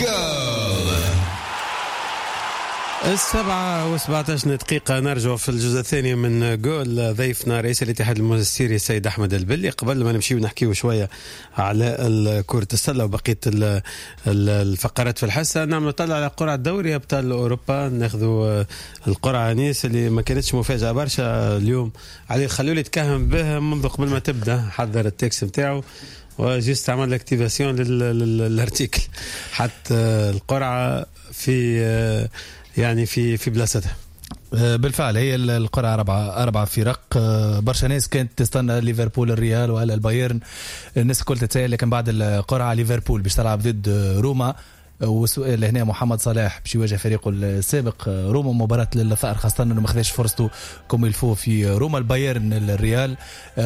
جول. 7:17 دقيقة، نرجع في الجزء الثاني من جول. ضيفنا رئيس الاتحاد المونستيري السيد أحمد البلي. قبل ما نمشي ونحكيه شوية على كرة السلة وبقية الفقرات في الحصة، نعمل طلع على قرعة دوري أبطال أوروبا. ناخذوا القرعة نيس اللي ما كانتش مفاجأة برشا اليوم، علي الخلولي تكهن بها منذ قبل ما تبدأ، حضر ال texte نتاعو و juste عمل activation لل article، حتى القرعة في يعني في بلاصتها. بالفعل هي القرعة أربعة فرق. برشا ناس كانت تستنى ليفربول الريال ولا البايرن، الناس الكل تتساءل، لكن بعد القرعة ليفربول باش تلعب ضد روما، والسؤال هنا محمد صلاح باش يواجه فريقه السابق روما، مباراة للثأر خاصة انه ما خذاش فرصته comme il faut في روما. البايرن الريال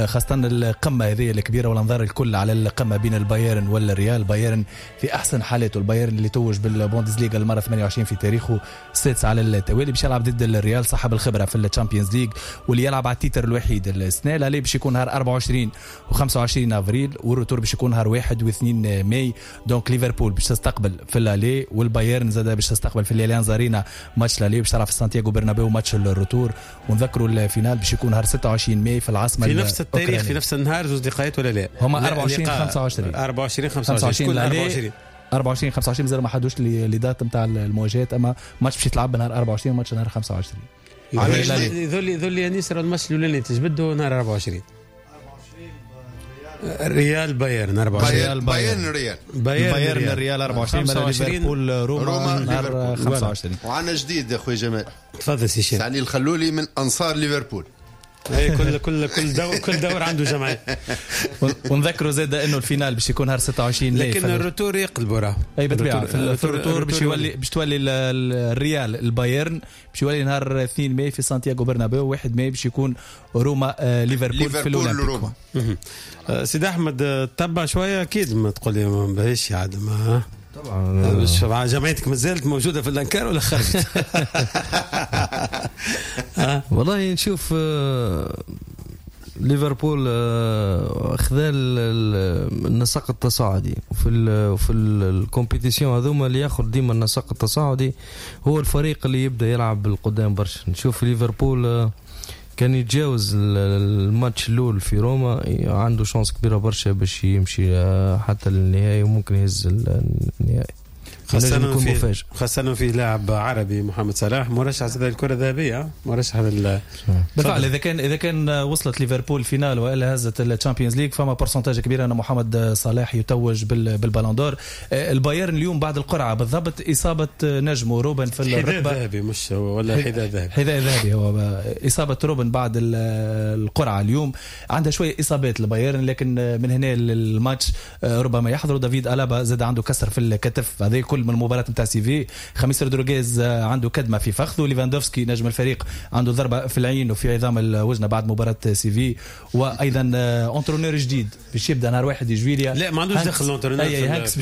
خاصة القمة هذه الكبيرة والانظار الكل على القمة بين البايرن والريال. البايرن في احسن حالاته، البايرن اللي توج بالبوندسليغا المرة 28 في تاريخه، السادس على التوالي، باش يلعب ضد الريال صاحب الخبرة في ال Champions League واللي يلعب على ال titre الوحيد السنة. l'aller باش يكون نهار 24 و25 افريل، وال retour باش يكون نهار 1 و2 ماي. donc ليفربول باش تستقبل في l'aller، والبايرن زاد باش تستقبل في الاليانز ارينا match l'aller، باش تلعب في سانتياغو برنابيو match ال retour. ونذكروا ال finale باش يكون نهار 26 ماي في العاصمة في نفس التاريخ في نفس النهار، زوج لقاءات ولا لا؟ هما 24 25 24 25 24 24 25 مازال ما حدوش les dates نتاع المواجهات، اما ماتش باش يتلعب نهار 24 ماتش نهار 25. ذولي انيس الماتش الاولاني تجبدوا نهار 24 ريال بايرن 24، بايرن ريال، بايرن ريال 24، ليفربول روما نهار 25. وعندنا جديد يا خويا جمال. تفضل سي شيخ. علي الخلولي من انصار ليفربول. اي كل كل كل دور كل دور عنده جمعية. ونذكروا زاد انه ال finale باش يكون نهار 26، لكن ال retour يقلبوا راه. اي بالطبيعة في ال retour باش يولي باش تولي الريال البايرن باش يولي نهار 2 ماي في سانتياغو برنابيو، 1 ماي باش يكون روما ليفربول في الاولمبيك. سيد احمد تبع شوية اكيد ما تقول لي ما باهيش عاد ما طبعا جمعيتك مازالت موجودة في الانكار ولا خرجت؟ والله نشوف ليفربول خذا النسق التصاعدي وفي ال compétition هذوما اللي ياخذ ديما النسق التصاعدي هو الفريق اللي يبدا يلعب بالقدام برشا. نشوف ليفربول كان يتجاوز الماتش الاول في روما، عنده chance كبيرة برشا باش يمشي حتى للنهائي وممكن يهز النهائي. خاصة في لاعب عربي محمد صلاح مرشح زاد الكرة الذهبية، مرشح بالفعل. إذا كان وصلت ليفربول finale وإلا هزت ال Champions League فما pourcentage كبير أن محمد صلاح يتوج بال Ballon d'Or. البايرن اليوم بعد القرعة بالضبط إصابة نجمه روبن في الركبة، حذاء ذهبي مش ولا حذاء ذهبي، حذاء ذهبي هو. إصابة روبن بعد القرعة اليوم، عندها شوية إصابات البايرن، لكن من هنا للماتش ربما يحضروا. دافيد ألابا زاد عنده كسر في الكتف، هذا كل من المباراة نتاع سيفي. خميس رودريغيز عنده كدمة في فخذه، ليفاندوفسكي نجم الفريق عنده ضربة في العين وفي عظام الوجنة بعد مباراة سيفي. وأيضا entraîneur جديد باش يبدا نهار 1 جويليا. لا ما عندوش دخل l'entraîneur، هانكس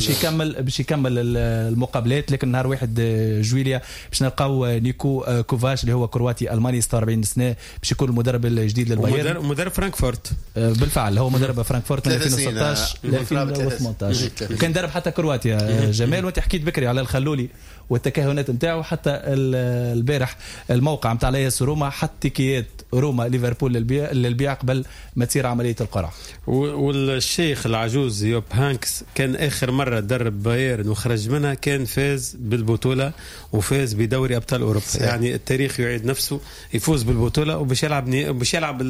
باش يكمل المقابلات، لكن نهار 1 جويليا باش نلقاو نيكو كوفاش اللي هو كرواتي ألماني 46 سنة باش يكون المدرب الجديد للبايرن، مدرب فرانكفورت. بالفعل هو مدرب فرانكفورت من 2016 ل 2018، وكان درب حتى كرواتيا. جمال وانت حكيت بكري على الخلولي والتكهنات نتاعو، حتى البارح الموقع نتاع لاس روما حط تيكيات روما ليفربول للبيع قبل ما تصير عملية القرعة. والشيخ العجوز يوب هانكس كان اخر مرة درب بايرن وخرج منها كان فاز بالبطولة وفاز بدوري ابطال اوروبا. يعني التاريخ يعيد نفسه، يفوز بالبطولة وباش يلعب باش يلعب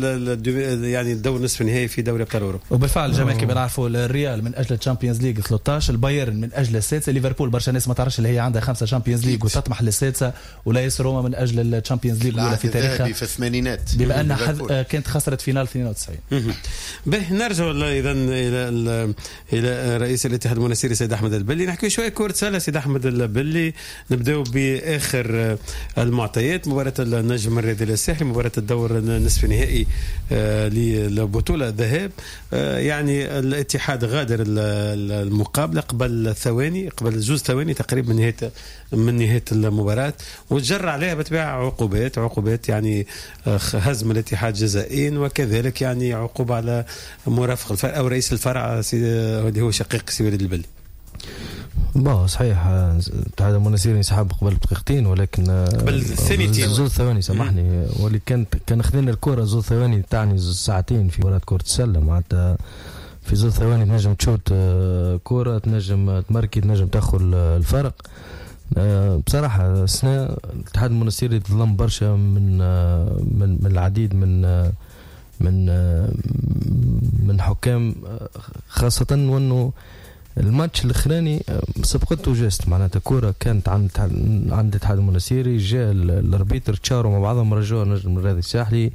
يعني الدور نصف النهائي في دوري ابطال اوروبا. وبالفعل جمال كما نعرفوا الريال من اجل ال Champions League 13، البايرن من اجل السادسة، ليفربول برشا ناس ما تعرفش اللي هي عندها 5 Champions League وتطمح للسادسه، ولايس روما من اجل ال Champions League الاولى في تاريخها في الثمانينات، بما ان كانت خسرت finale 92. به نرجع اذا الى رئيس الاتحاد المنستيري سيد احمد البلي، نحكي شوية كره سله. سيد احمد البلي، نبداو باخر المعطيات، مباراة النجم الرياضي الساحلي، مباراة الدور نصف النهائي للبطولة الذهاب. يعني الاتحاد غادر المقابلة قبل ثواني، قبل 2 ثواني تقريبا من نهاية المباراة، وتجرى عليها بتباع عقوبات يعني هزم الاتحاد جزائين، وكذلك يعني عقوبه على مرافق الفرع او رئيس الفرع اللي هو شقيق سي وليد البلي. bon صحيح الاتحاد المنستيري انسحب قبل بدقيقتين، ولكن قبل ثانيتين، زوج ثواني سامحني، واللي كان خذينا الكره زوج ثواني تعني ساعتين في مباراة كره السلة. معناتها في زوج ثواني تنجم تشوت كره، تنجم تمركي، تنجم تاخذ الفرق. بصراحة السنة الاتحاد المنستيري تظلم برشا من من من العديد من من من حكام، خاصة وانه الماتش الاخراني سبقته geste، معناتها كورة كانت عند الاتحاد المنستيري، جاء ال arbitre تشاروا مع بعضهم، رجعوا نجم الرياضي الساحلي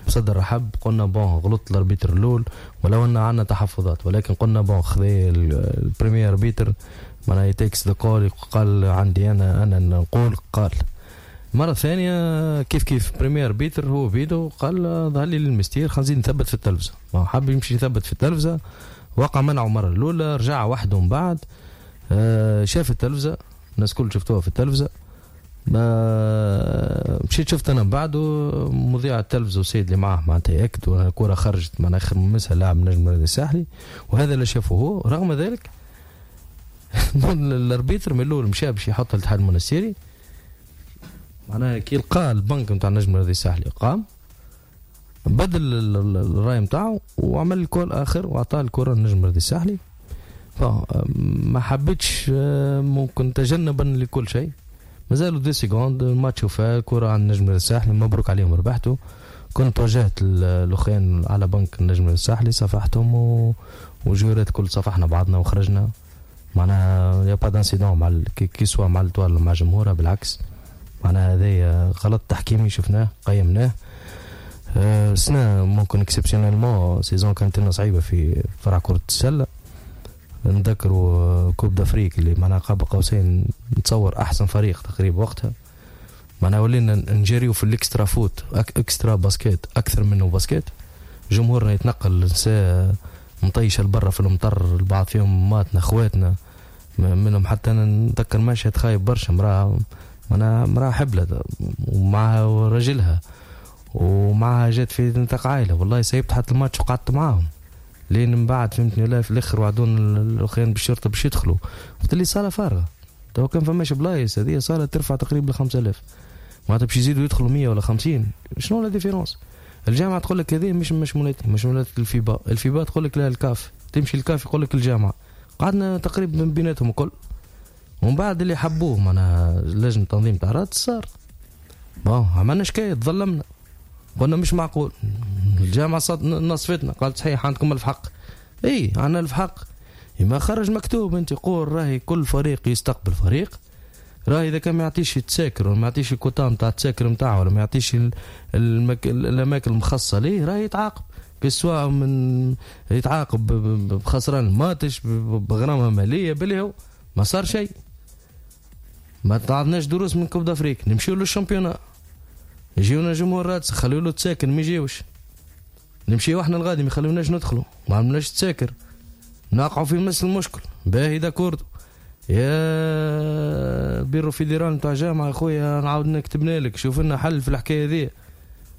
بصدر رحب. قلنا bon غلط ال arbitre الاول ولو ان عندنا تحفظات، ولكن قلنا bon خذي ال premier arbitre معناها takes the call، قال عندي انا نقول. قال مرة ثانية كيف كيف premier arbitre هو بيدو قال ظهر لي للمستير خلينا نزيد نثبت في التلفزة، حب يمشي يثبت في التلفزة، وقع منعه مرة الأولى، رجع وحده من بعد، شاف التلفزة، الناس كل شفتوها في التلفزة، مشيت شفت أنا من بعده مذيع التلفزة والسيد اللي معاه معناتها يأكدوا أن الكرة خرجت معناها آخر مسها لاعب نجم الرياضي الساحلي، وهذا اللي شافه هو. رغم ذلك ال arbitre من الأول مشى باش يحط الاتحاد المنستيري، معناها كي لقى البنك نتاع النجم الرياضي الساحلي قام بدل الراي نتاعو وعمل ال call اخر واعطاه الكره للنجم الرياضي الساحلي. ما حبيتش ممكن تجنبا لكل شيء، مازالوا 2 secondes الماتش وفا، الكره عند النجم الرياضي الساحلي، مبروك عليهم ربحتوا. كنت واجهت الاخوان على بنك النجم الرياضي الساحلي، صافحتهم وجورات كل صافحنا بعضنا وخرجنا، معناها y a pas d'incident مع que ce soit مع l'Étoile مع جمهورها، بالعكس معناها هذا غلط تحكيمي شفناه قيمناه. سنة ممكن exceptionnellement saison كانت لنا صعيبة في فرع كرة السلة، نذكروا Coupe d'Afrique اللي معناها قاب قوسين نتصور أحسن فريق تقريبا وقتها، معناها ولينا نجريو في ال extra faute extra basket أكثر منه basket، جمهورنا يتنقل نساء مطيشة لبرا في المطر، البعض فيهم ماتنا خواتنا منهم، حتى أنا نتذكر مشهد خايب برشا، امرأة معناها امرأة حبلة ومعها رجلها ومعها جات في نطاق عائلة، والله سيبت حتى الماتش وقعدت معاهم لين من بعد فهمتني ولا في الاخر وعدون الاخرين بالشرطة باش يدخلوا، قلت لي صاله فارغة تو كان فماش بلايص، هذه صاله ترفع تقريبا 5000 معناتها باش يزيدوا يدخلوا 100 ولا 50، شنو la différence؟ الجامعة تقول لك هذه مش مولاتي، مش مولات الفيبا، الفيبا تقول لك لا الكاف، تمشي الكاف يقول لك الجامعة، قعدنا تقريبا بيناتهم الكل. ومن بعد اللي حبوه معناها لجنة تنظيم تاع رادس صار bon عملنا شكاية، تظلمنا، قلنا مش معقول، الجامعة نصفتنا، قالت صحيح عندكم ألف حق، اي عندنا ألف حق، ما خرج مكتوب انت قول راهي كل فريق يستقبل فريق، راهي اذا كان ما يعطيش التساكر ولا ما يعطيش الكوتا نتاع التساكر نتاعو ولا ما يعطيش الاماكن المخصصة ليه راهي يتعاقب، سواء من يتعاقب بخسران الماتش بغرامه ماليه باللي هو ما صار شيء. ما تعطناش دروس من Coupe d'Afrique، نمشيو لل championnat يجيونا جمهور رادس خليو له تساكن ما يجيوش، نمشيو احنا الغادي ما يخلوناش ندخلوا، ما عملناش تساكر، نقعوا في نفس المشكل. باهي d'accord يا bureau fédéral نتاع جامعه يا خويا نعاود نكتبنا لك شوف لنا حل في الحكاية ذي.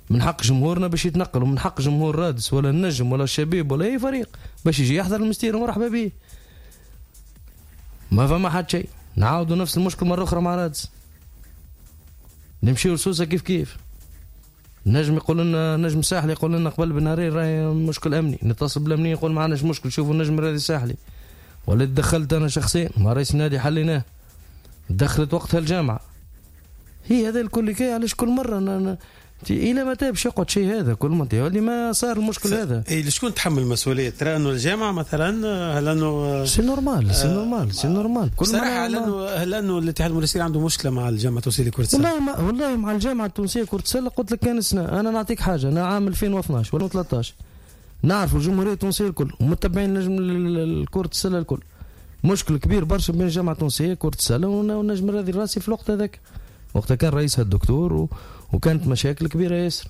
من حق جمهورنا باش يتنقل، ومن حق جمهور رادس ولا النجم ولا الشبيب ولا اي فريق باش يجي يحضر المستير ومرحبا به. ما فما حد شيء، نعاودوا نفس المشكل مرة اخرى مع رادس، نمشيو لسوسه كيف كيف. نجم يقول لنا نجم ساحلي يقول لنا قبل بنهارين راهي مشكل امني، نتصل بالامنيه يقول ما عندناش مشكل، شوفوا النجم الرياضي الساحلي. ولا دخلت انا شخصيا مع رئيس النادي حليناه، دخلت وقتها الجامعة. هي هذا الكل كي علاش كل مرة الى متى باش يقعد شيء هذا كل ما اللي ما صار المشكل هذا؟ اي شكون تحمل المسؤولية؟ ترى انه الجامعة مثلا هل انه c'est normal c'est normal c'est normal كل صراحة هل انه الاتحاد المنستيري عنده مشكلة مع الجامعة التونسية لكرة السلة؟ والله مع الجامعة التونسية كره السلة قلت لك كان سنة، انا نعطيك حاجة، انا عام 2012 ولا 13 نعرف الجمهورية التونسية الكل ومتبعين نجم كره السلة الكل، مشكل كبير برشا بين الجامعة التونسية كره السلة والنجم الرياضي الراسي في الوقت هذاك، وقتها كان رئيسها الدكتور وكانت مشاكل كبيرة ياسر.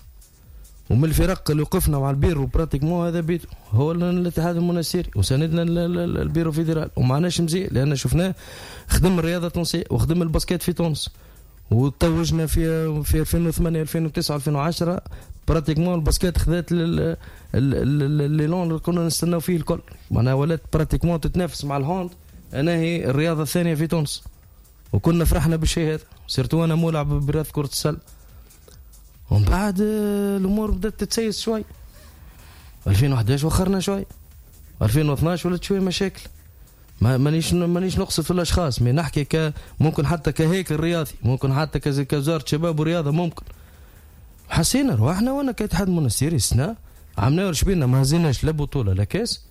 ومن الفرق اللي وقفنا مع ال bureau pratiquement هذا بيتو هو الاتحاد المنستيري وساندنا ال bureau fédéral ومعناش مزيان، لان شفناه خدم الرياضة التونسية وخدم ال basket في تونس وتوجنا في 2008 2009 2010 pratiquement ال basket خذات l'élan اللي كنا نستناو فيه الكل، معناها ولات pratiquement تتنافس مع ال hand انا هي الرياضة الثانية في تونس، وكنا فرحنا بالشيء هذا، surtout انا مولع برياضة كره السلة. ومن بعد الامور بدات تتسيس شوي. 2011 وخرنا شوي، 2012 ولات شوي مشاكل. مانيش نقصد في الاشخاص، mais نحكي ممكن حتى كهيكل رياضي، ممكن حتى كوزارة شباب ورياضة، ممكن حسينا رواحنا. وانا كاتحاد منستيري السنة عملنا شبينا، ما هزيناش لا بطوله لا كاس،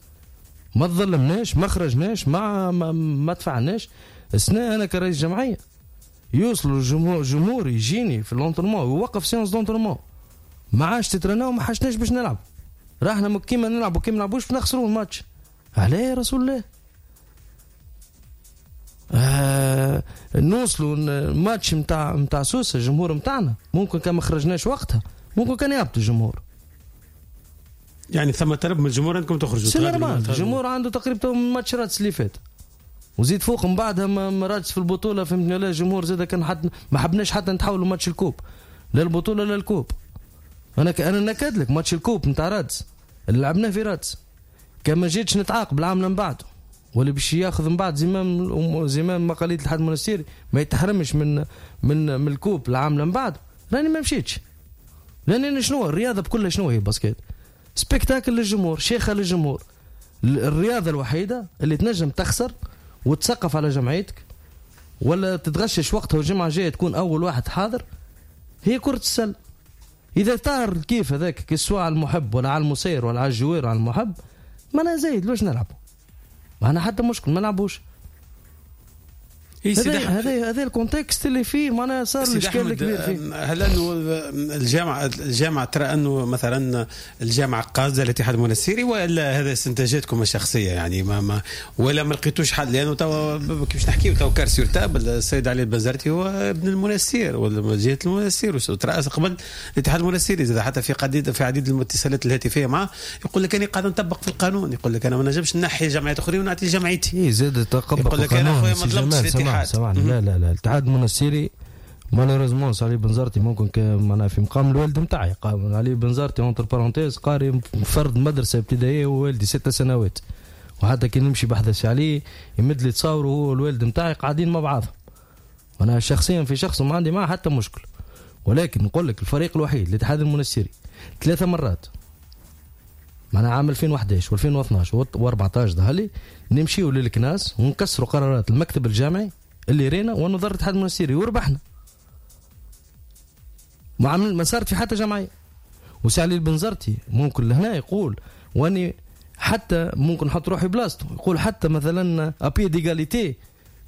ما تظلمناش، ما خرجناش، ما دفعناش. السنة انا كرئيس جمعية يوصلوا الجمهور يجيني في l'entraînement ويوقف séance d'entraînement، ما عادش تترناو، ما حاجناش باش نلعب، راحنا كيما نلعبوا كيما نلعبوش نخسروا الماتش. علاه يا رسول الله؟ نوصلوا الماتش نتاع سوسة، الجمهور نتاعنا ممكن كان ما خرجناش وقتها ممكن كان يهبط الجمهور. يعني ثم طلب من الجمهور انكم تخرجوا. c'est normal، الجمهور عنده تقريبا ماتش رادس اللي فات، وزيد فوق من بعدها ما رادس في البطولة، فهمتني؟ لا الجمهور زاد كان حتى ما حبناش حتى نتحولوا ماتش ال coupe، لا البطولة لا ال coupe. انا نكاد لك ماتش ال coupe نتاع رادس اللي لعبناه في رادس، كان ما جيتش نتعاقب العام من بعده، واللي باش ياخذ من بعد زمام مقاليد الاتحاد المنستيري ما يتحرمش من من من ال coupe العام من بعد، راني ما مشيتش. لان شنو الرياضة بكلها شنو هي؟ basket spectacle للجمهور، شيخه للجمهور. الرياضة الوحيدة اللي تنجم تخسر وتسقف على جمعيتك ولا تتغشش وقتها والجمعة الجاية تكون اول واحد حاضر هي كره السلة. اذا طار كيف هذاك سواء على المحب ولا على المسير ولا على ال joueur ولا على المحب، ما انا زايد لوش نلعبوا؟ ما انا حتى مشكل ما نلعبوش. هذا ال contexte اللي فيه معناها صار الاشكال الكبير فيه. هل انه الجامعة ترى انه مثلا الجامعة قاصده الاتحاد المنستيري، ولا هذا استنتاجاتكم الشخصية؟ يعني ما ولا ما لقيتوش حل؟ لانه تو كيفاش نحكيو تو cartes sur table، السيد علي البنزرتي هو ابن المنستير ولا جهة المنستير وترأس قبل الاتحاد المنستيري، زاد حتى في عديد الاتصالات الهاتفية معه يقول لك انا قاعد نطبق في القانون، يقول لك انا ما نجمش نحي جمعيات اخرين ونعطي جمعيتي. زاد تطبق يقول لك انا خويا ما ظلمتش الاتحاد. سامحني، لا لا لا، الاتحاد المنستيري malheureusement علي بنزرتي ممكن معناها في مقام الوالد نتاعي، علي بنزرتي entre parenthèses قاري فرد مدرسه ابتدائية ووالدي 6 سنوات، وحتى كي نمشي بحث عليه يمد لي تصاور وهو الوالد نتاعي قاعدين مع بعضهم. وانا شخصيا في شخص ما عندي معه حتى مشكل، ولكن نقول لك الفريق الوحيد الاتحاد المنستيري 3 مرات معناها عام 2011 و2012 و14 ظهر نمشيو للكناس ونكسروا قرارات المكتب الجامعي اللي رينا ونضر الاتحاد المنستيري وربحنا. ما صارت في حتى جمعية. وسي علي البنزرتي ممكن لهنا يقول، واني حتى ممكن نحط روحي بلاصته، يقول حتى مثلا à pied d'égalité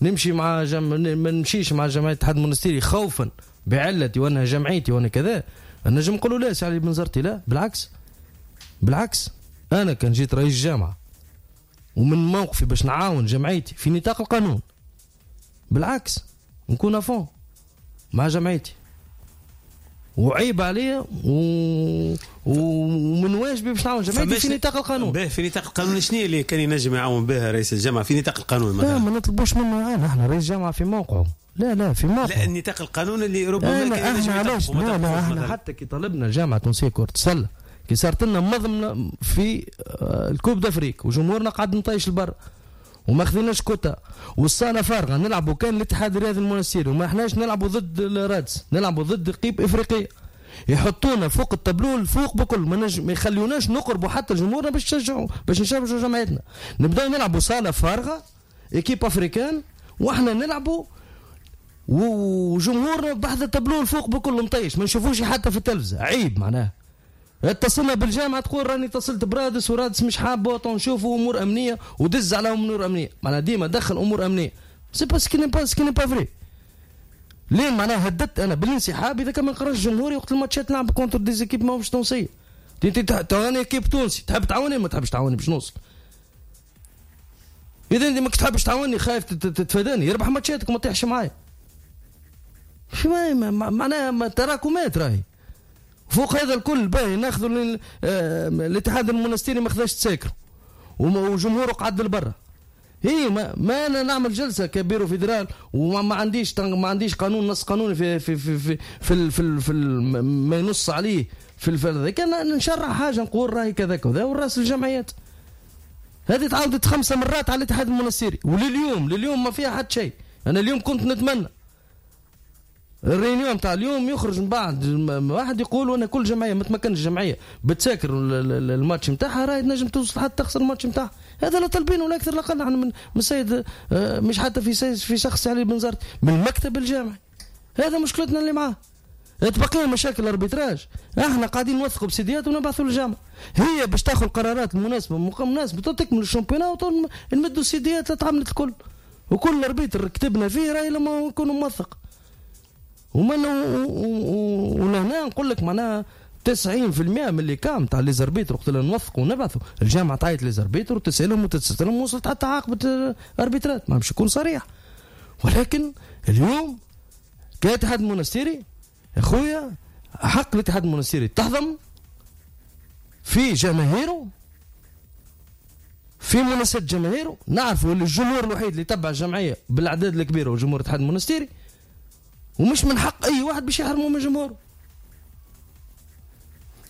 نمشي مع ما نمشيش مع جمعية الاتحاد المنستيري خوفا بعلتي وانها جمعيتي وانا كذا، نجم نقولوا لا سي علي البنزرتي لا، بالعكس بالعكس، انا كان جيت رئيس جامعه ومن موقفي باش نعاون جمعيتي في نطاق القانون، بالعكس نكون à fond مع جمعيتي، وعيب عليا ومن واجبي باش نعاون جمعيتي في نطاق القانون. به في نطاق القانون شنو اللي كان ينجم يعاون به رئيس الجامعة في نطاق القانون مثلا؟ لا ما نطلبوش منه يعاون، احنا رئيس الجامعة في موقعه. لا لا في موقعه، لا النطاق القانون اللي ربما كان ينجم يطبقه. لا لا احنا حتى كي طلبنا الجامعة التونسية كره السلة كي صارت لنا مضمنه في ال coupe d'Afrique وجمهورنا قعد نطيش البر وما خذيناش كوتا والصاله فارغة، نلعبوا كان الاتحاد الرياضي المنستيري وما احناش نلعبوا ضد الرادس، نلعبوا ضد équipe افريقية، يحطونا فوق التابلو فوق بكل، ما يخليوناش نقربوا حتى جمهورنا باش نشجعوا باش نشجعوا جمعيتنا. نبداو نلعبوا صاله فارغة équipe africaine واحنا نلعبوا وجمهورنا بحذا التابلو فوق بكل مطيش، ما نشوفوش حتى في التلفزة، عيب معناها. اتصلنا بالجامعة تقول راني اتصلت برادس ورادس مش حابة نشوفوا امور امنية ودز على امور امنية، معناها ديما دخل امور امنية، c'est parce que n'est pas ce qui n'est pas vrai. لين معناها هددت انا بالانسحاب اذا كان ما نقراش جمهوري وقت الماتشات نلعب contre des équipes ماهمش تونسية. انت تعاوني équipe تونسي تحب تعاوني ما تحبش تعاوني باش نوصل. اذا انت ما تحبش تعاوني خايف تتفاداني، يربح ماتشاتك وما تطيحش معايا. معناها تراكمات راهي. فوق هذا الكل باهي ناخذوا الاتحاد المنستيري ما خذاش تساكر وجمهوره قعد لبرا. هي ما انا نعمل جلسه ك bureau fédéral وما عنديش قانون نص قانوني في في في في في, في, في ما ينص عليه في الفرد، كان نشرح حاجة نقول راهي كذا كذا والراس الجمعيات. هذه تعاودت 5 مرات على الاتحاد المنستيري، ولليوم لليوم ما فيها حتى شيء. انا اليوم كنت نتمنى ال réunion تاع اليوم يخرج من بعد واحد يقول وانا كل جمعية ما تمكنش الجمعية بتساكر الماتش نتاعها راهي تنجم توصل حتى تخسر الماتش نتاعها. هذا لا طالبينه ولا اكثر لا اقل. احنا من السيد مش حتى في شخص علي بنزرتي، من المكتب الجامعي. هذا مشكلتنا اللي معاه. تبقي مشاكل ال arbitrage، احنا قاعدين نوثقوا بسيديات ونبعثوا للجامعة، هي باش تاخذ القرارات المناسبة مناسبة تكمل ال championnat ونمدوا السيديات تعملت الكل، وكل arbitre كتبنا فيه راهي لما يكون موثق. ومن ولهنا نقول لك معناها 90% من اللي كام تاع les arbitres وقت اللي نوثقوا ونبعثوا الجامعة تعيط les arbitres وتسالهم وتسالهم، وصلت حتى عاقبة arbitre ات، ما باش يكون صريح. ولكن اليوم كاتحاد المونستيري يا خويا، حق الاتحاد المونستيري تهضم في جماهيره، في مناسبة جماهيره. نعرفوا اللي الجمهور الوحيد اللي تبع الجمعية بالاعداد الكبيرة هو جمهور الاتحاد المونستيري، ومش من حق اي واحد باش يحرمه من جمهوره.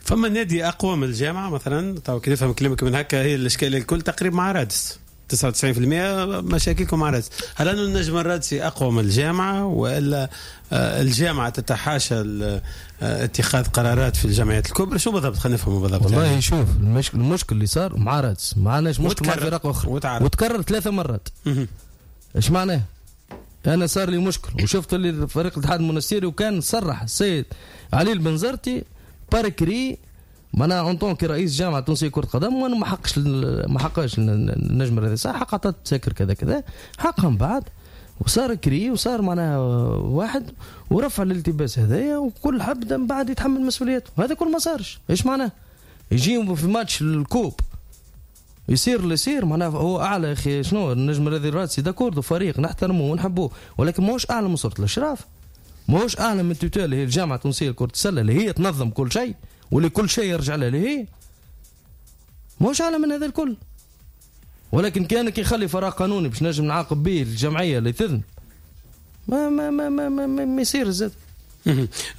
فما نادي اقوى من الجامعة مثلا؟ تو كي نفهم كلامك من هكا هي الاشكالية الكل تقريبا مع رادس، 99% مشاكلكم مع رادس. هل انه النجم الرادسي اقوى من الجامعة، والا الجامعة تتحاشى اتخاذ قرارات في الجمعيات الكبرى؟ شو بالضبط؟ خلينا نفهموا بالضبط. والله يعني شوف المشكل اللي صار مع رادس، ما عندناش مشكل مع فرق اخرى، وتكرر 3 مرات. ايش معناه؟ انا صار لي مشكل وشفت اللي فريق الاتحاد المونستيري، وكان صرح السيد علي البنزرتي par écrit معناها en tant que رئيس جامعه تونسية كره قدم، وانا ما حقش النجم الرياضي صح، حق عطات تساكر كذا كذا حقهم من بعد، وصار écrit وصار معناها واحد ورفع الالتباس هذايا، وكل حد من بعد يتحمل مسؤوليته. هذا كل ما صارش. ايش معناه؟ يجي في ماتش ال coupe يصير اللي يصير، معناها هو اعلى يا اخي. شنو النجم الرياضي الرادسي d'accord فريق نحترمه ونحبوه، ولكن ماهوش اعلى من صورة الاشراف، ماهوش اعلى من tutelle اللي هي الجامعة التونسية لكرة السلة اللي هي تنظم كل شيء واللي كل شيء يرجع لها اللي هي، ماهوش اعلى من هذا الكل. ولكن كان كي يخلي فراغ قانوني باش نجم نعاقب به الجمعية اللي تذنب ما ما ما ما ما, ما, ما يصير زاد.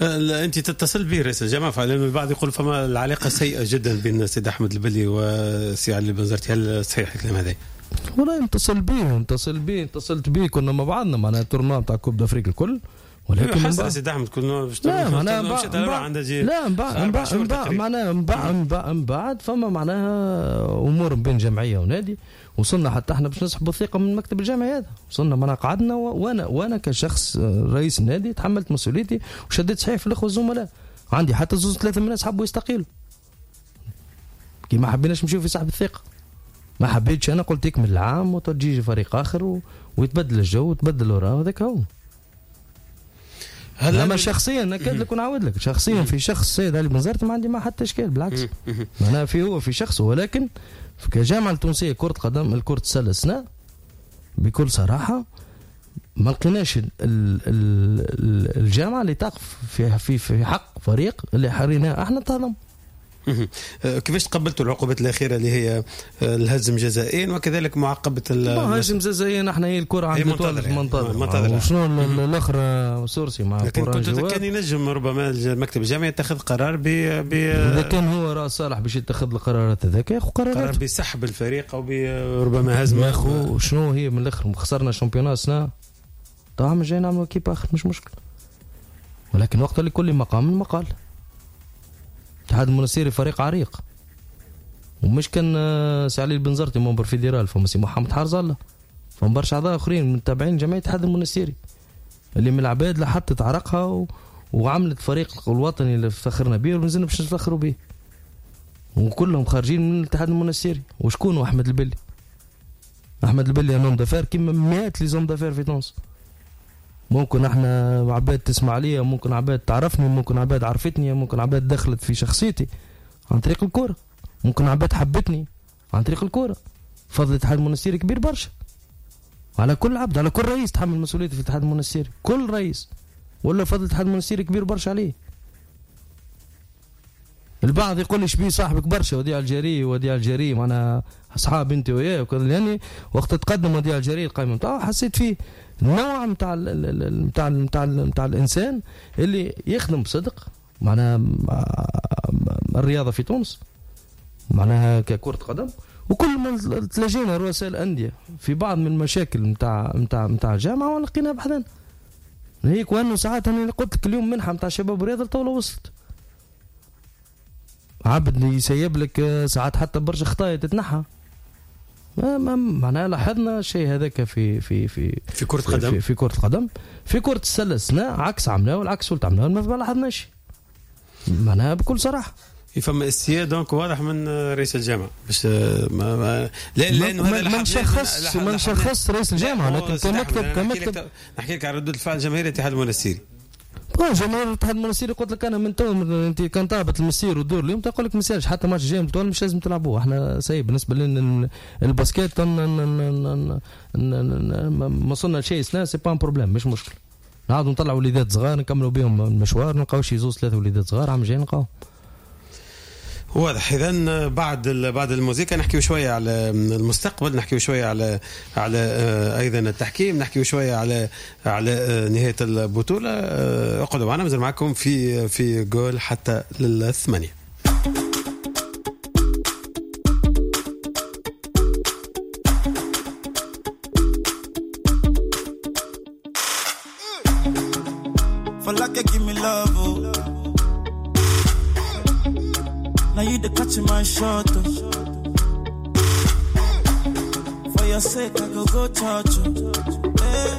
انت تتصل به رئيس الجامعة، لانه البعض يقول فما العلاقة سيئه جدا بين السيد احمد البلي وسي علي البنزرتي، هل صحيح الكلام هذا؟ والله اتصلت به كنا مع بعضنا معناها ال tournoi تاع Coupe d'Afrique الكل، ولكن حس سيد احمد كنا لا معناها من بعد فما معناها امور بين جمعية ونادي، وصلنا حتى احنا باش نسحبوا الثقة من المكتب الجامعي هذا. وصلنا معناها قعدنا، وانا كشخص رئيس النادي تحملت مسؤوليتي وشديت صحيح في الاخوة الزملاء. عندي حتى 2 3 من الناس حبوا يستقيلوا كي ما حبيناش نمشيو في سحب الثقة. ما حبيتش انا، قلت يكمل العام وتجي فريق اخر ويتبدل الجو وتبدل الوراء وهذاك هو. اما شخصيا نكاد لك ونعاود لك شخصيا في شخص السيد علي بنزرتي ما عندي ما حتى اشكال، بالعكس معناها في هو في شخصه. ولكن كجامعه التونسية كره قدم الكره السلة السنة بكل صراحة ما لقيناش الجامعة اللي تقف في في في حق فريق اللي حريناه احنا تهضم. كيفاش تقبلتوا العقوبات الاخيرة اللي هي الهزم جزائيا وكذلك معاقبة الهزم جزائيا؟ احنا هي الكره عند منتظره وشنو الاخر sursis مع لكن كنت كان ينجم ربما المكتب الجامعي يتخذ قرار ب اذا كان هو راس صالح باش يتخذ القرارات هذاك ياخذ قرارات، قرار بسحب الفريق او بربما هزم. يا خو شنو هي من الاخر خسرنا championnat سنة طبعا جاي نعملوا équipe اخر مش مشكل، ولكن وقت لكل مقام مقال. الاتحاد المنستيري فريق عريق، ومش كان سي علي البنزرتي membre fédéral، فما سي محمد حارز الله، فما برشا اعضاء اخرين من تابعين جمعية الاتحاد المنستيري اللي من العباد اللي حطت عرقها وعملت فريق الوطني اللي افتخرنا به ومازلنا باش نفتخروا به، وكلهم خارجين من الاتحاد المنستيري. وشكون احمد البلي؟ احمد البلي un homme d'affaires كيما مئات les hommes d'affaires في تونس. ممكن احنا عباد تسمع ليا، ممكن عباد تعرفني، ممكن عباد عرفتني، ممكن عباد دخلت في شخصيتي عن طريق الكورة، ممكن عباد حبتني عن طريق الكورة. فضل الاتحاد المنستيري كبير برشا على كل عبد، على كل رئيس تحمل مسؤوليته في الاتحاد المنستيري، كل رئيس ولا فضل الاتحاد المنستيري كبير برشا عليه. البعض يقول لي شبيه صاحبك برشا وديع الجري، وديع الجري معناها اصحاب انت وياه وكذا، يعني وقت تقدم وديع الجري القائمة نتاعو حسيت فيه نوع نتاع نتاع نتاع نتاع الانسان اللي يخدم بصدق معناها الرياضة في تونس معناها ككره قدم، وكل ما تلاجينا رؤساء الاندية في بعض من المشاكل نتاع الجامعة ولقيناها بحذانا. هيك وانه ساعات انا قلت لك اليوم منحه نتاع شباب الرياضة الطاولة وصلت. عبد يسيب لك ساعات حتى برشا خطايا تتنحى. ما معناها لاحظنا الشيء هذاك في في في في كرة القدم، في كرة القدم، في كرة السلة السنة عكس عملناه والعكس ولت عملناه، ما لاحظناش معناها بكل صراحة. فما استياء donc واضح من رئيس الجامعة باش ما لا لانه هذا ما نشخص رئيس الجامعة، لكن كمكتب نحكي لك على ردود الفعل جماهير الاتحاد المنستيري. جماهير الاتحاد المنستيري قلت لك انا من تو انت كان طابت المسير والدور اليوم تقول لك ما يسالش حتى ماتش جاي مش لازم تلعبوه، احنا سايب بالنسبة لنا ال basket ما وصلنا لشيء سنة c'est pas un problème، مش مشكل. نعاودوا نطلعوا وليدات صغار نكملوا بهم المشوار، نلقاو شي زوز ثلاثة وليدات صغار عام جاي نلقاو. واضح. اذا بعد الموسيقى نحكيو شوية على المستقبل، نحكيو شوية على ايضا التحكيم، نحكيو شوية على نهاية البطولة. اقعدوا معنا، مازال معكم في جول حتى للثمانيه. Now you the catch my shot. For your sake, I go go charge you. Hey.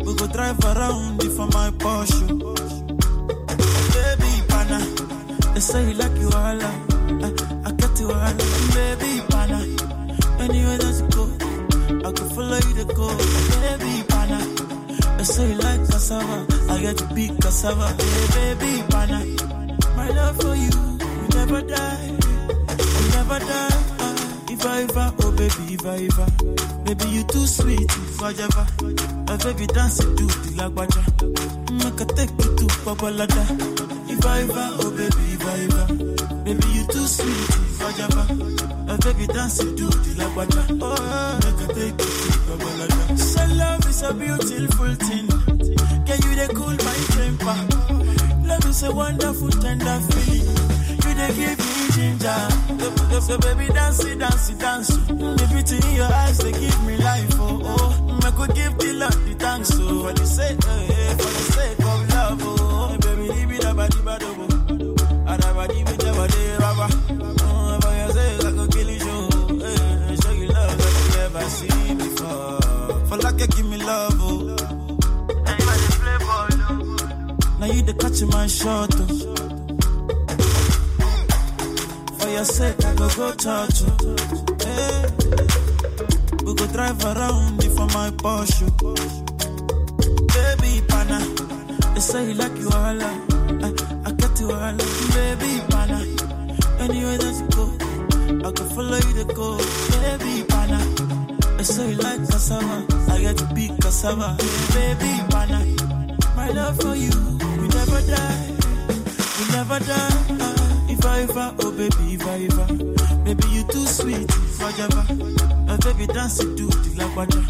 We go drive around you for my Porsche. Baby, pana, they say you like you all. I got you all. Baby, pana, anywhere that you go, I can follow you to go. Baby, pana, they say you like cassava. I get to big cassava. Hey, baby, pana, my love for you. Never die, you never die. If I ever, oh baby, if I ever, baby you too sweet, if I ever, oh baby dance it to the lagwaja, make I take you to Babalada. If I ever, oh baby, if I ever, baby you too sweet, if I ever, oh baby dance it to the lagwaja, oh make I take you to Babalada. So love is a beautiful thing, can you dey cool my temper? Love is a wonderful tender feeling. They give me ginger. So baby, dance, dance, dance. The beauty in your eyes, they give me life. Oh, oh. I could give the Lord the thanks. Oh, for the sake, for the sake of love. Oh, baby, leave it about the bad. Oh, for your sake, I could kill you. Show you love that you never seen before. For like you give me love. Oh, now you the catch my shot. Oh. For your sake, I go go charge you. Hey. We go drive around you for my Porsche. Baby, pana, they say you like you all. I got you all. Baby, pana, anywhere that you go, I can follow you to go. Baby, pana, they say you like cassava. I get to be cassava. Baby, pana, my love for you, we never die, we never die. If I ever, oh baby, if I ever, baby you too sweet, if I ever, oh baby dance it to the lagwaja,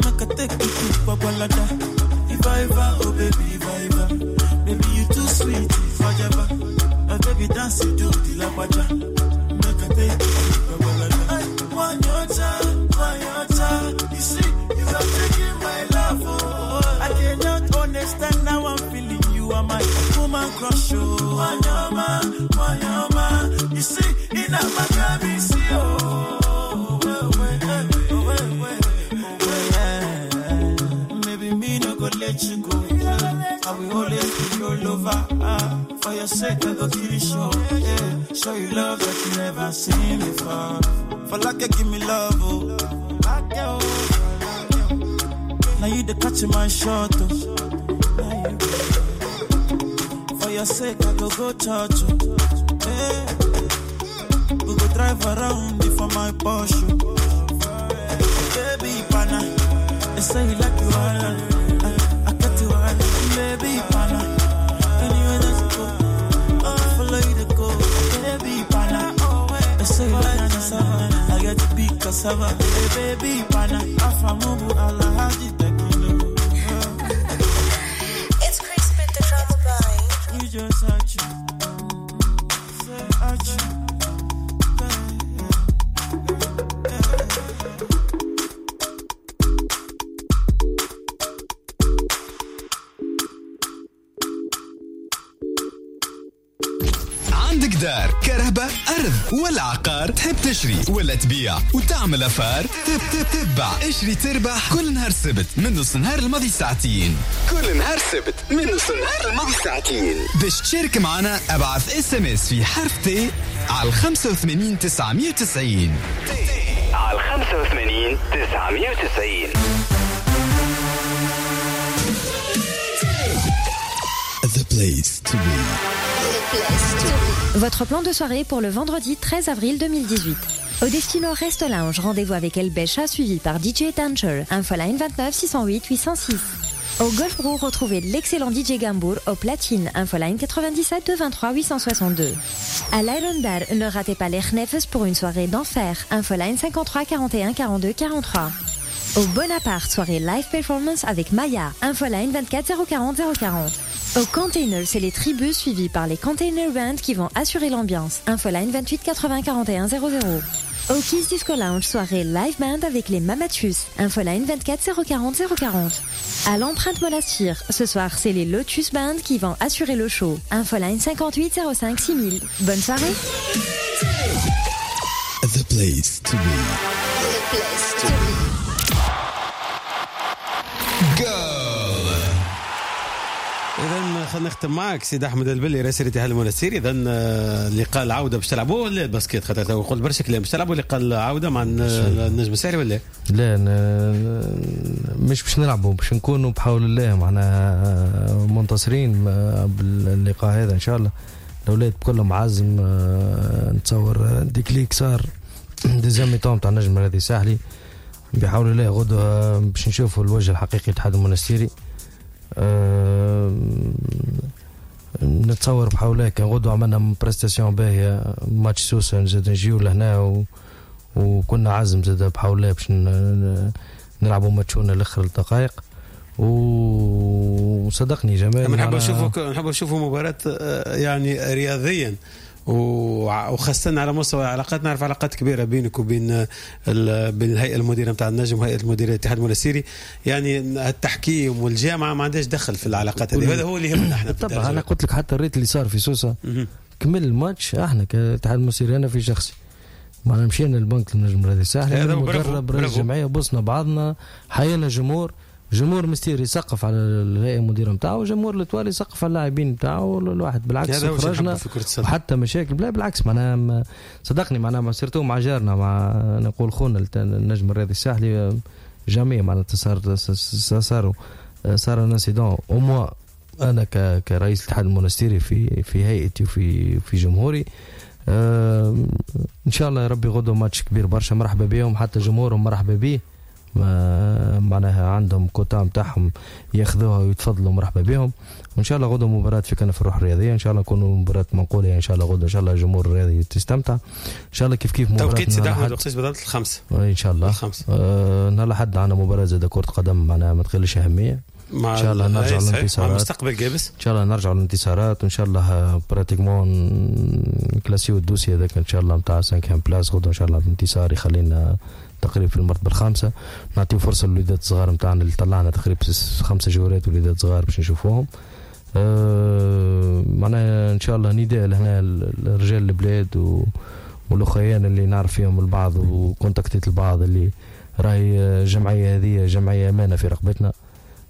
make I take you to Babalada. If I ever, oh baby, if I ever, baby you too sweet, if I ever, oh baby dance it to the lagwaja, make I take you to Babalada. I want your time, want your time. You see, you are taking my love, oh. I cannot understand now I'm feeling you are my woman crush, oh. Wanyama, wanyama, you see, in a magabisi, oh, oh, oh, maybe me no go let you go. I will always be your lover. For your sake, I go kill you, show, yeah. Show you love that you never seen before. For like you give me love, oh. Now you the catch my shot, oh. For your sake, I go go charge you. Hey. We go drive around you for my Porsche. Baby, pana, they say you like you all. I got you all. Baby, pana, anywhere that you go, I follow you to go. Baby, pana, they say you like cassava. I get to be cassava. Hey, baby, pana, afamubu alahaji tekino. It's Chris with the drama boy. You just at you, say at you. عندك دار، كرهبة، أرض ولا عقار، تحب تشري ولا تبيع وتعمل affaire، تتبع اشري تربح كل نهار سبت من نص نهار الماضي ساعتين. كل نهار سبت من نص نهار الماضي ساعتين. باش تشارك معنا ابعث SMS في حرف T على 85 990. على 85 990. The place to be. The place to be. Votre plan de soirée pour le vendredi 13 avril 2018. Au Destino Rest Lounge, rendez-vous avec El Becha suivi par DJ Tancher. Infoline 29 608 806. Au Golf Brou, retrouvez l'excellent DJ Gambour au platine. Infoline 97 223 862. À l'Iron Bar, ne ratez pas les Khnefes pour une soirée d'enfer. Infoline 53 41 42 43. Au Bonaparte, soirée live performance avec Maya. Infoline 24 040 040. Au Container, c'est les tribus suivies par les Container Band qui vont assurer l'ambiance. Infoline 28 80 41 00. Au Kiss Disco Lounge, soirée live band avec les Mamatus. Infoline 24 040 040. À l'empreinte Monastir, ce soir, c'est les Lotus Band qui vont assurer le show. Infoline 58 05 6000. Bonne soirée. The place to be. The place to be. Go. اذا خلينا نختم معك سيد احمد البلي رئيس الاتحاد المونستيري. اذا لقاء العودة باش تلعبوه ولا ال basket؟ خاطر قلت برشا كلام، باش تلعبوا لقاء العودة مع النجم الساحلي ولا لا؟ مش باش نلعبوا، باش نكونوا بحول الله معنا منتصرين باللقاء هذا ان شاء الله. الاولاد كلهم عزم، نتصور déclic صار deuxième mi-temps تاع النجم الرياضي الساحلي بحول الله. غدوه باش نشوفوا الوجه الحقيقي للاتحاد المونستيري. نتصور بحول الله كان غدوه عملنا prestation باهيه ماتش سوسة نزيد نجيو لهنا وكنا عزم زاد بحول الله باش نلعبوا ماتشونا لاخر الدقائق. وصدقني جمال نحب نشوفوا مباراة يعني رياضيا وخاصة على مستوى العلاقات. نعرف علاقات كبيرة بينك وبين بين الهيئة المديرة نتاع النجم وهيئة المديرة الاتحاد المونستيري، يعني التحكيم والجامعة ما عندهاش دخل في العلاقات هذه، هذا هو اللي يهمنا احنا. طبعا انا قلت لك حتى ال rythme اللي صار في سوسة كمل الماتش، احنا كاتحاد المونستيري انا في شخصي معنا مشينا للبنك النجم الرياضي الساحلي، المدرب رئيس الجمعية، بصنا بعضنا، حيينا جمهور مستير يسقف على الهيئة المديرة نتاعو، وجمهور l'Étoile يسقف على اللاعبين نتاعو. الواحد بالعكس خرجنا وحتى مشاكل، لا بالعكس معناها صدقني معناها surtout مع جارنا مع نقول خونا النجم الرياضي الساحلي jamais معناها صار un incident au moins. انا كرئيس الاتحاد المونستيري في هيئتي وفي في جمهوري، ان شاء الله يا ربي غدوه ماتش كبير برشا، مرحبا بهم، حتى جمهورهم مرحبا به، معناها عندهم كوتا نتاعهم ياخذوها ويتفضلوا، مرحبا بهم. وان شاء الله غدوه مباراة في كنف الروح الرياضية، ان شاء الله نكونوا مباراة منقوله ان شاء الله غدوه، ان شاء الله الجمهور الرياضي تستمتع ان شاء الله. كيف كيف مباراة توقيت سيدي احمد وقتاش بالضبط؟ الخمسة ان شاء الله. نهار الاحد عندنا مباراة زاد كره قدم معناها ما تقلش اهمية، ان شاء الله نرجع للانتصارات مع مستقبل جابس، ان شاء الله نرجع للانتصارات، وان شاء الله pratiquement نكلاسيو ال dossier هذاك ان شاء الله نتاع 5 place غدوه ان شاء الله بانتصار يخلينا تقريبا في المرتبة الخامسة. نعطيو فرصة للوليدات الصغار نتاعنا اللي طلعنا تقريبا 5 جولات وليدات صغار باش نشوفوهم. معناها ان شاء الله نداء لهنا رجال البلاد والاخيان اللي نعرف فيهم البعض وكونتاكتيت البعض، اللي راهي الجمعية هذه جمعية امانه في رقبتنا.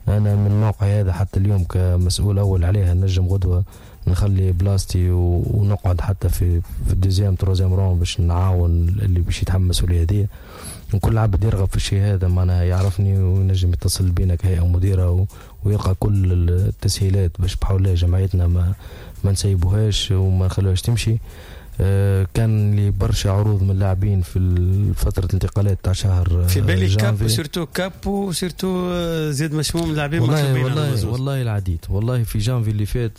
انا من موقعي هذا حتى اليوم كمسؤول اول عليها نجم غدوه نخلي بلاصتي ونقعد حتى في ال deuxième troisième rang باش نعاون اللي باش يتحمل المسؤولية هذه. وكل عبد يرغب في الشيء هذا معناها يعرفني وينجم يتصل بينا كهيئة مديره ويلقى كل التسهيلات باش بحول الله جمعيتنا ما نسيبوهاش وما نخلوهاش تمشي. كان لي برشا عروض من اللاعبين في فترة الانتقالات تاع شهر في بالي كاب surtout كاب surtout زيد مشموم اللاعبين. والله والله العديد والله في جانفي اللي فات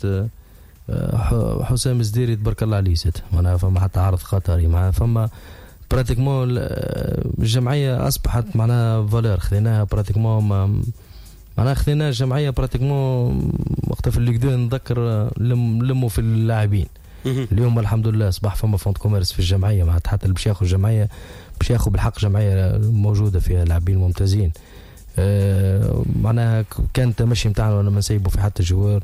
حسام الزديري تبارك الله عليه زاد معناها فما حتى عرض قطري، معناها فما pratiquement الجمعية اصبحت معناها valeur خذيناها pratiquement معناها خذينا الجمعية pratiquement وقتها في ال Ligue 2 نذكر لموا في اللاعبين. اليوم الحمد لله اصبح فما fonds de commerce في الجمعية، معناتها حتى اللي باش ياخذ جمعية باش ياخذ بالحق جمعية موجودة فيها لاعبين ممتازين. معناها كان التمشي نتاعنا ما نسيبوا في حتى joueur.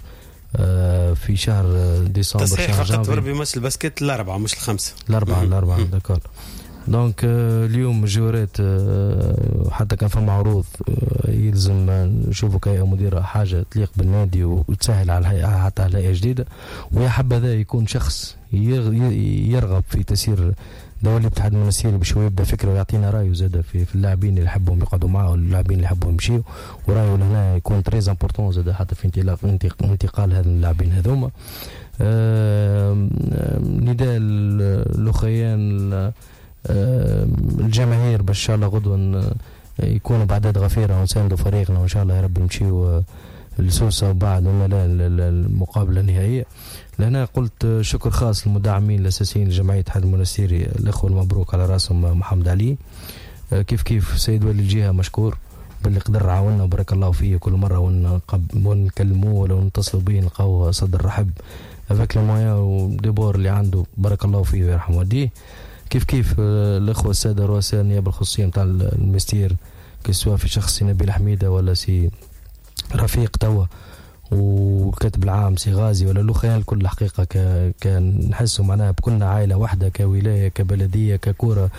في شهر ديسمبر. تصحيح فقط بربي ماتش ال basket الاربعة مش الخمسة. الاربعة d'accord. donc اليوم الجوارات حتى كان فما عروض يلزم نشوفوا كهيئة مديره حاجة تليق بالنادي وتسهل على الهيئة حتى على هيئة جديدة، ويا حبذا يكون شخص يرغب في تسيير دولي الاتحاد المنستيري باش هو يبدا فكرة ويعطينا رايه زاد في اللاعبين اللي يحبهم يقعدوا معاه واللاعبين اللي يحبهم يمشيو، ورايه لهنا يكون très important زاد حتى في انتقال هذا اللاعبين هذوما. نداء الاخيان الجماهير باش ان شاء الله غدوه يكونوا باعداد غفيره ونساندوا فريقنا، وان شاء الله يا رب نمشيو لسوسه وبعد ولا لا المقابلة النهائية. لهنا قلت شكر خاص للمدعمين الاساسيين لجمعية الاتحاد المنستيري، الاخوة المبروك على راسهم محمد علي، كيف كيف سيد والي الجهة مشكور باللي قدر عاوننا وبارك الله فيه، كل مرة ونكلموه ولا نتصلوا به نلقاو صدر رحب avec les moyens و des bords اللي عنده، بارك الله فيه ويرحم والديه. كيف كيف الاخوة السادة رؤساء النيابة الخصوصية نتاع المستير، que ce soit في شخص نبيل حميده ولا سي رفيق توا والكاتب العام سي غازي ولا الاخوان الكل، الحقيقة كان نحسوا معناها بكلنا عائلة واحدة، كولايه كبلديه ككوره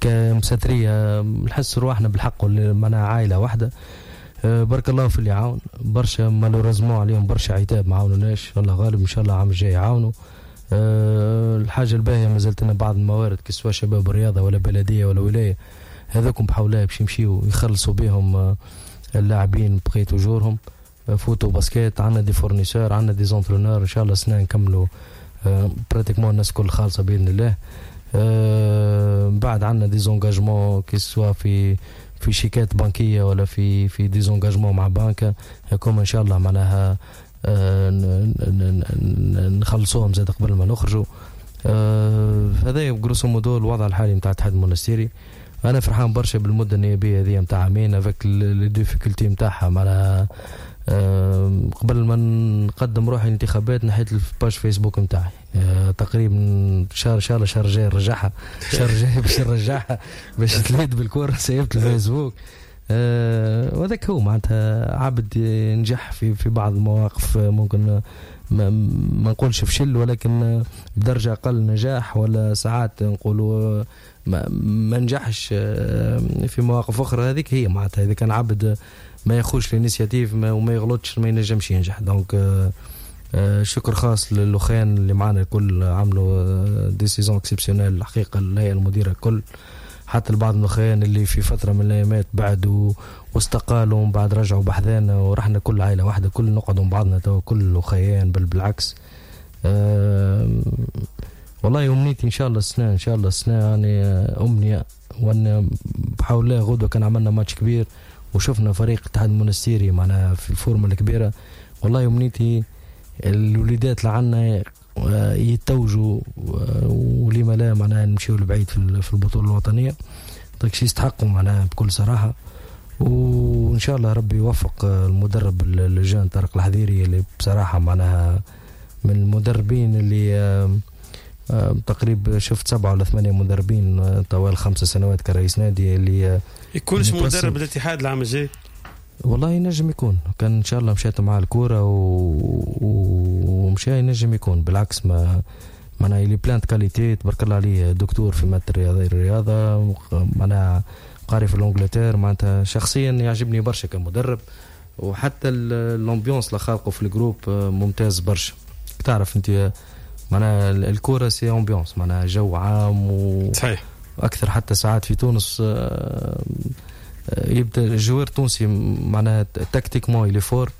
كمساتريه، نحس رواحنا بالحق معناها عائلة واحدة. بارك الله في اللي عاون برشا، malheureusement عليهم برشا عتاب ما عاونوناش، الله غالب، ان شاء الله العام الجاي يعاونوا. الحاجة الباهيه مازالت لنا بعض الموارد que ce soit شباب الرياضة ولا بلديه ولا ولاية، هذوكم بحول الله باش يمشيو يخلصوا بهم اللاعبين بقية اجورهم. foot و basket عندنا des fournisseurs، عندنا des entraîneurs، ان شاء الله سنة نكملوا pratiquement الناس كل خالصة باذن الله. بعد عندنا des engagements que ce soit في شيكات بنكيه ولا في des engagements مع بنكه، هكم ان شاء الله معناها نخلصوهم زاد قبل ما نخرجوا. هذا grosso modo الوضع الحالي نتاع الاتحاد المونستيري. انا فرحان برشا بالمدة النيابية هذه نتاع عامين avec les difficultés نتاعها معناها. قبل ما نقدم روحي الانتخابات نحيت ال page فيسبوك نتاعي تقريبا شهر شهر جاي نرجعها، شهر جاي باش نرجعها باش تلهيت بالكورة، سيبت الفيسبوك. وهذاك هو معناتها عبد نجح في بعض المواقف، ممكن ما نقولش فشل ولكن بدرجة اقل نجاح، ولا ساعات نقولوا ما نجحش في مواقف اخرى. هذيك هي معناتها اذا كان عبد ما ياخوش l'initiative وما يغلطش ما ينجمش ينجح. donc شكر خاص للاخوان اللي معنا الكل، عملوا des saisons exceptionnelles الحقيقة، الهيئة المديرة الكل، حتى البعض من الاخوان اللي في فترة من الايامات بعدوا واستقالوا ومن بعد رجعوا بحذانا، ورحنا كل عائلة واحدة، كل نقعدوا مع بعضنا تو كل اخيان، بل بالعكس. والله امنيتي ان شاء الله السنة، ان شاء الله السنة يعني امنية، وان بحول الله غدوه كان عملنا ماتش كبير وشفنا فريق الاتحاد المونستيري معنا في ال forme الكبيرة، والله امنيتي الوليدات اللي عندنا يتوجوا ولما لا معناها نمشيو لبعيد في البطولة الوطنية، داكشي يستحقوا معناها بكل صراحة. وان شاء الله ربي يوفق المدرب ال jeune طارق الحذيري اللي بصراحة معناها من المدربين اللي تقريبا شفت 7 ولا 8 مدربين طوال 5 سنوات كرئيس نادي، اللي يكونش مدرب الاتحاد العام الجاي. والله ينجم يكون، كان ان شاء الله مشيت مع الكورة ومشى ينجم يكون، بالعكس ما معناها il est plein de qualités تبارك الله عليه، دكتور في مادة الرياضة معناها قاري في l'Angleterre، معناتها شخصيا يعجبني برشا كمدرب، وحتى l'ambiance اللي خالقه في ال groupe ممتاز برشا. تعرف انت معناها الكورة c'est ambiance، معناها جو عام صحيح اكثر. حتى ساعات في تونس يبدا ال joueur التونسي معناها tactiquement il est fort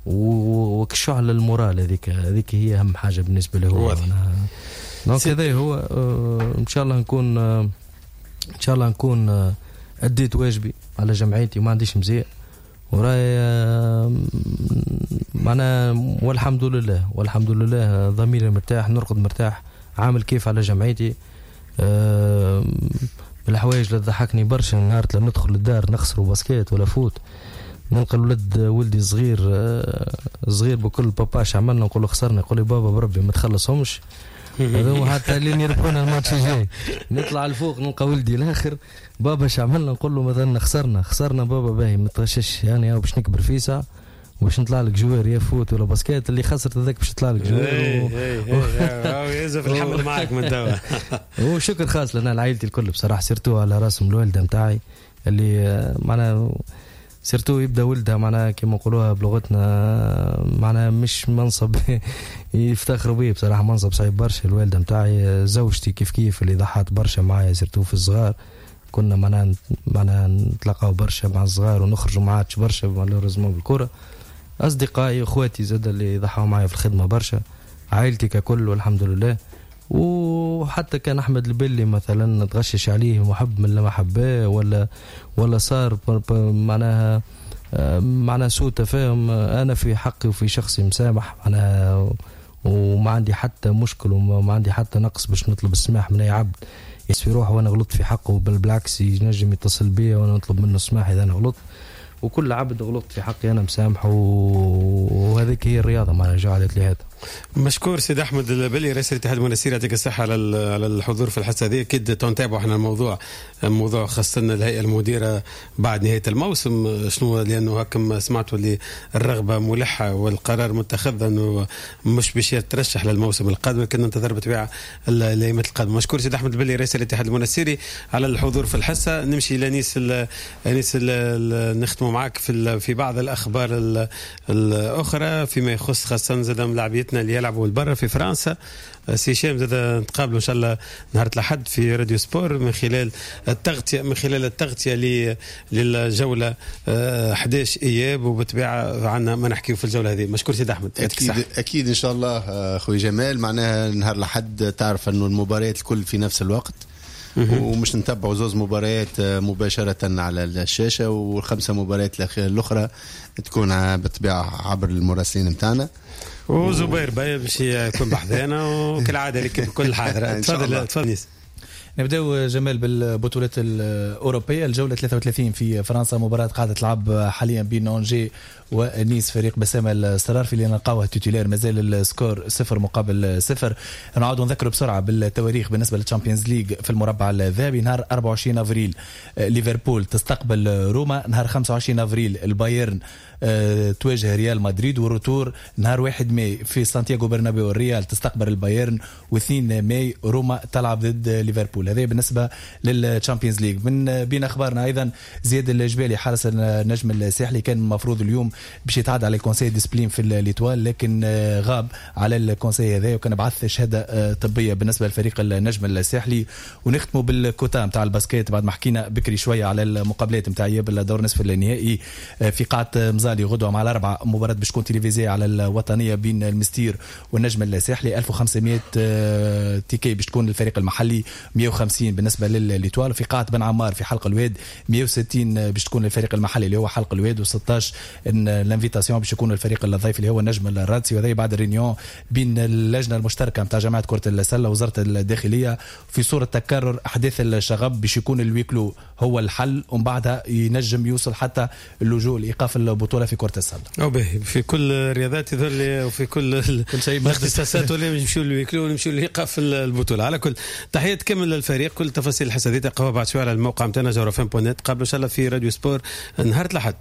وكشعل ال moral، هذيك هي اهم حاجة بالنسبة له هو. donc هذا هو، ان شاء الله نكون ان شاء الله نكون اديت واجبي على جمعيتي وما عنديش مزية وراي معناها، والحمد لله والحمد لله ضميري مرتاح، نرقد مرتاح، عامل كيف على جمعيتي. الحوايج اللي تضحكني برشا نهار لما ندخل للدار نخسروا basket ولا foot، نلقى الولد ولدي صغير صغير بكل باباش عملنا، نقول له خسرنا، يقول لي بابا بربي ما تخلصهمش هذوما حتى لين يربحونا الماتش الجاي. نطلع الفوق نلقى ولدي الاخر بابا اش عملنا، نقول له مثلا خسرنا بابا باهي ما تغشش يعني باش نكبر فيسا باش نطلع لك joueur يا foot ولا basket، اللي خسرت هذاك باش يطلع لك joueur. يوسف الحمل معك من توا. وشكر خاص لنا لعائلتي الكل بصراحة، surtout على راسهم الوالدة نتاعي اللي معناها surtout يبدا ولدها معناها كيما نقولوها بلغتنا معناها مش منصب يفتخروا به بصراحة، منصب صعيب برشا. الوالدة نتاعي، زوجتي كيف كيف اللي ضحت برشا معايا surtout في الصغار، كنا معناها نتلاقاو برشا مع الصغار ونخرجوا ما عادش برشا malheureusement بالكرة. اصدقائي اخواتي زاد اللي ضحوا معايا في الخدمة برشا، عائلتي ككل والحمد لله. وحتى كان احمد البلي مثلا تغشش عليه محب من لما حباه ولا صار معناها سوء تفاهم، انا في حقي وفي شخصي مسامح معناها، وما عندي حتى مشكل وما عندي حتى نقص باش نطلب السماح من اي عبد يحس في روحه وانا غلطت في حقه، بل بالعكس ينجم يتصل بيا وانا نطلب منه السماح اذا انا غلطت. وكل عبد غلطت في حقي انا مسامحة، وهذيك هي الرياضة معناها جعلت لي هذا. مشكور سيد احمد البلي رئيس الاتحاد المنستيري، يعطيك الصحة على الحضور في الحصة هذه. اكيد تنتابعوا احنا الموضوع، موضوع خاصة الهيئة المديرة بعد نهاية الموسم شنو، لانه هكم سمعتوا اللي الرغبة ملحة والقرار متخذ انه مش باش يترشح للموسم القادم، لكن ننتظر بالطبيعة الايامات القادمة. مشكور سيد احمد البلي رئيس الاتحاد المنستيري على الحضور في الحصة. نمشي لانيس انيس، نختموا معك في بعض الاخبار الاخرى فيما يخص خاصة زاد ملاعبيتنا اللي يلعبوا برا في فرنسا. سي هشام زاد نتقابلوا ان شاء الله نهار الاحد في راديو سبور من خلال التغطية للجوله 11 اياب، وبالطبيعه عندنا ما نحكيو في الجولة هذه. مشكور سيد احمد، اكيد ان شاء الله خوي جمال. معناها نهار الاحد تعرف انه المباريات الكل في نفس الوقت، ومش نتبعوا زوز مباريات مباشرة على الشاشة، والخمسة مباريات الأخرى تكون بالطبيعة عبر المراسلين متاعنا. وزبير باي باش يكون بحذانا وكالعادة لك بكل حاضرة. تفضل تفضل. نبداو جمال بالبطولات الأوروبية، الجولة 33 في فرنسا، مباراة قاعدة تلعب حاليا بين أونجي ونيس، فريق بسام السرارفي اللي نلقاوه titulaire، مازال ال score 0-0. نعاودوا نذكروا بسرعة بالتواريخ بالنسبة لل Champions League في المربع الذهبي. نهار 24 أفريل ليفربول تستقبل روما، نهار 25 أفريل البايرن تواجه ريال مدريد، و retour نهار 1 ماي في سانتياغو برنابيو الريال تستقبل البايرن، و2 ماي روما تلعب ضد ليفربول. هذا بالنسبة لل Champions League. من بين أخبارنا أيضا زياد الجبالي حارس النجم الساحلي كان المفروض اليوم باش يتعدى على ال conseil discipline في l'Étoile، لكن غاب على ال conseil هذا وكان بعث شهادة طبية بالنسبة لفريق النجم الساحلي. ونختموا بالكوتا نتاع ال basket بعد ما حكينا بكري شوية على المقابلات نتاع اياب الدور نصف النهائي في قاعة مزالي غدوه مع الاربعة، مباراة باش تكون télévisée على الوطنية بين المستير والنجم الساحلي. 1500 tickets باش تكون للفريق المحلي، 150 بالنسبة ل l'Étoile. في قاعة بن عمار في حلق الواد 160 باش تكون للفريق المحلي اللي هو حلق الواد، و16 l'invitation باش يكون الفريق الضيف اللي هو النجم الرادسي. وهذا بعد ال réunion بين اللجنة المشتركة نتاع جامعه كره السلة وزارة الداخلية في صوره تكرر احداث الشغب باش يكون ال huis clos هو الحل، ومن بعدها ينجم يوصل حتى اللجوء لايقاف البطولة في كره السلة. او به في كل الرياضات يظل وفي كل شيء الاختصاصات ولا نمشيو لل huis clos ونمشيو لايقاف البطولة. على كل تحية كامل للفريق. كل تفاصيل الحصة هذه تلقاوها بعد شوية على الموقع نتاعنا جوهرة FM point net. قبل ان شاء الله في راديو سبور نهار الاحد.